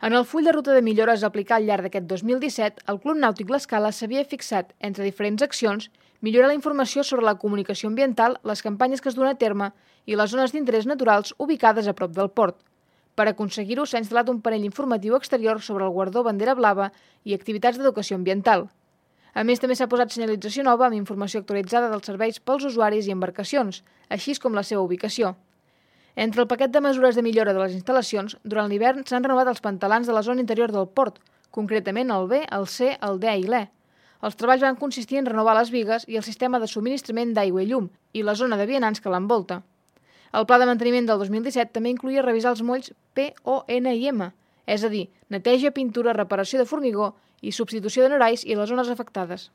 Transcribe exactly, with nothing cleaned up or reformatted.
En el full de ruta de millores a aplicar al llarg d'aquest dos mil disset, el Club Nàutic L'Escala s'havia fixat, entre diferents accions, millorar la informació sobre la comunicació ambiental, les campanyes que es duen a terme i les zones d'interès naturals ubicades a prop del port. Per aconseguir-ho s'ha instal·lat un panell informatiu exterior sobre el guardó bandera blava i activitats d'educació ambiental. A més, també s'ha posat senyalització nova amb informació actualitzada dels serveis pels usuaris i embarcacions, així com la seva ubicació. Entre el paquet de mesures de millora de les instal·lacions, durant l'hivern s'han renovat els pantalans de la zona interior del port, concretament el B, el C, el D i l'E. Els treballs van consistir en renovar les bigues i el sistema de subministrament d'aigua i llum i la zona de vianants que l'envolta. El pla de manteniment del dos mil disset també incluïa revisar els molls P, O, N i M, és a dir, neteja, pintura, reparació de formigó i substitució de norais i les zones afectades.